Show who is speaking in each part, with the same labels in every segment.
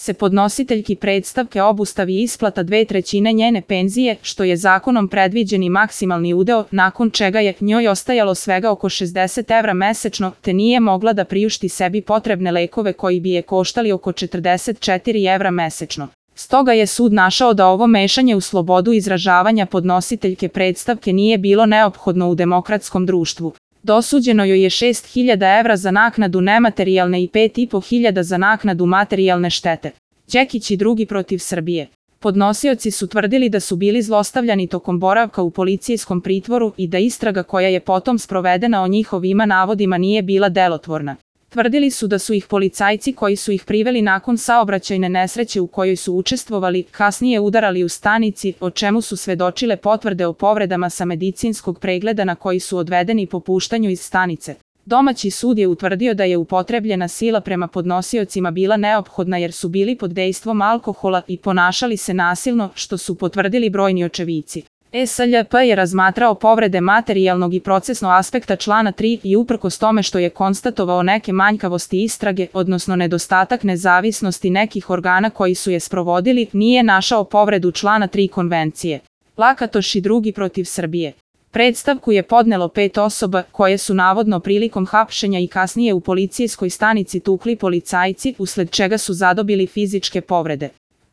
Speaker 1: se podnositeljki predstavke obustavi isplata 2/3 njene penzije, što je zakonom predviđeni maksimalni udeo, nakon čega je njoj ostajalo svega oko 60 evra mesečno, te nije mogla da priušti sebi potrebne lekove koji bi je koštali oko 44 evra mesečno. Stoga je sud našao da ovo mešanje u slobodu izražavanja podnositeljke predstavke nije bilo neophodno u demokratskom društvu. Dosuđeno joj je 6.000 evra za naknadu nematerijalne i 5.500 za naknadu materijalne štete. Đekić i drugi protiv Srbije. Podnosioci su tvrdili da su bili zlostavljani tokom boravka u policijskom pritvoru i da istraga koja je potom sprovedena o njihovim navodima nije bila delotvorna. Tvrdili su da su ih policajci koji su ih priveli nakon saobraćajne nesreće u kojoj su učestvovali, kasnije udarali u stanici, o čemu su svedočile potvrde o povredama sa medicinskog pregleda na koji su odvedeni po puštanju iz stanice. Domaći sud je utvrdio da je upotrebljena sila prema podnosiocima bila neophodna jer su bili pod dejstvom alkohola i ponašali se nasilno, što su potvrdili brojni očevici. SLJP je razmatrao povrede materijalnog i procesnog aspekta člana 3 i uprkos tome što je konstatovao neke manjkavosti istrage, odnosno nedostatak nezavisnosti nekih organa koji su je sprovodili, nije našao povredu člana 3 konvencije. Lakatoš i drugi protiv Srbije. Predstavku je podnelo 5 osoba koje su navodno prilikom hapšenja i kasnije u policijskoj stanici tukli policajci, usled čega su zadobili fizičke povrede.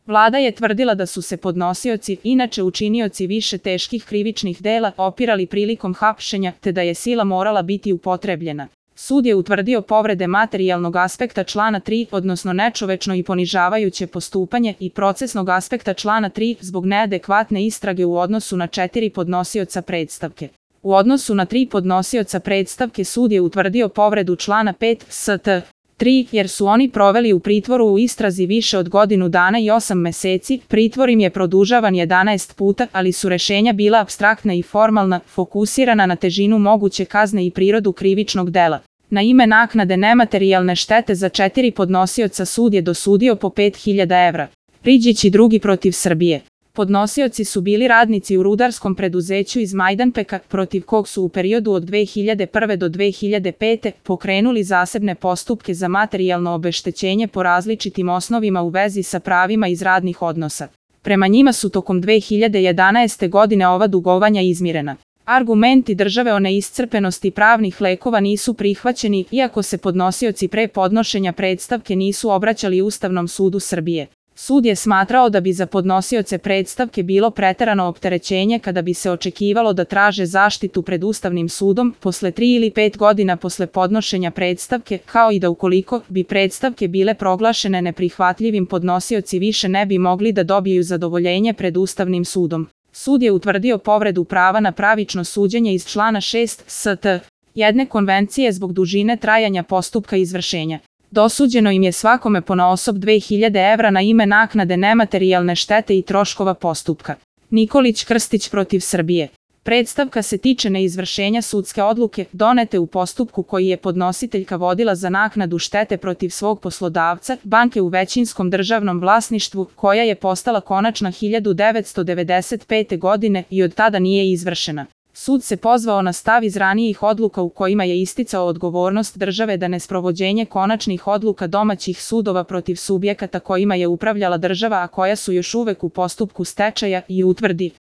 Speaker 1: Vlada je tvrdila da su se podnosioci, inače učinioci više teških krivičnih dela, opirali prilikom hapšenja, te da je sila morala biti upotrebljena. Sud je utvrdio povrede materijalnog aspekta člana 3, odnosno nečovečno i ponižavajuće postupanje, i procesnog aspekta člana 3 zbog neadekvatne istrage u odnosu na 4 podnosioca predstavke. U odnosu na 3 podnosioca predstavke sud je utvrdio povredu člana 5 st. 3, jer su oni proveli u pritvoru u istrazi više od godinu dana i 8 meseci, pritvor im je produžavan 11 puta, ali su rešenja bila apstraktna i formalna, fokusirana na težinu moguće kazne i prirodu krivičnog dela. Na ime naknade nematerijalne štete za 4 podnosioca sud je dosudio po 5.000 evra. Riđić i drugi protiv Srbije. Podnosioci su bili radnici u rudarskom preduzeću iz Majdanpeka, protiv kog su u periodu od 2001. do 2005. pokrenuli zasebne postupke za materijalno obeštećenje po različitim osnovima u vezi sa pravima iz radnih odnosa. Prema njima su tokom 2011. godine ova dugovanja izmirena. Argumenti države o neiscrpenosti pravnih lekova nisu prihvaćeni, iako se podnosioci pre podnošenja predstavke nisu obraćali Ustavnom sudu Srbije. Sud je smatrao da bi za podnosioce predstavke bilo preterano opterećenje kada bi se očekivalo da traže zaštitu pred Ustavnim sudom posle 3 ili 5 godina posle podnošenja predstavke, kao i da ukoliko bi predstavke bile proglašene neprihvatljivim, podnosioci više ne bi mogli da dobiju zadovoljenje pred Ustavnim sudom. Sud je utvrdio povredu prava na pravično suđenje iz člana 6 st. 1 konvencije zbog dužine trajanja postupka izvršenja. Dosuđeno im je svakome ponaosob 2.000 evra na ime naknade nematerijalne štete i troškova postupka. Nikolić Krstić protiv Srbije. Predstavka se tiče neizvršenja sudske odluke donete u postupku koji je podnositeljka vodila za naknadu štete protiv svog poslodavca, banke u većinskom državnom vlasništvu, koja je postala konačna 1995. godine i od tada nije izvršena. Sud se pozvao na stav iz ranijih odluka u kojima je isticao odgovornost države da nesprovođenje konačnih odluka domaćih sudova protiv subjekata kojima je upravljala država, a koja su još uvek u postupku stečaja, i utvrdi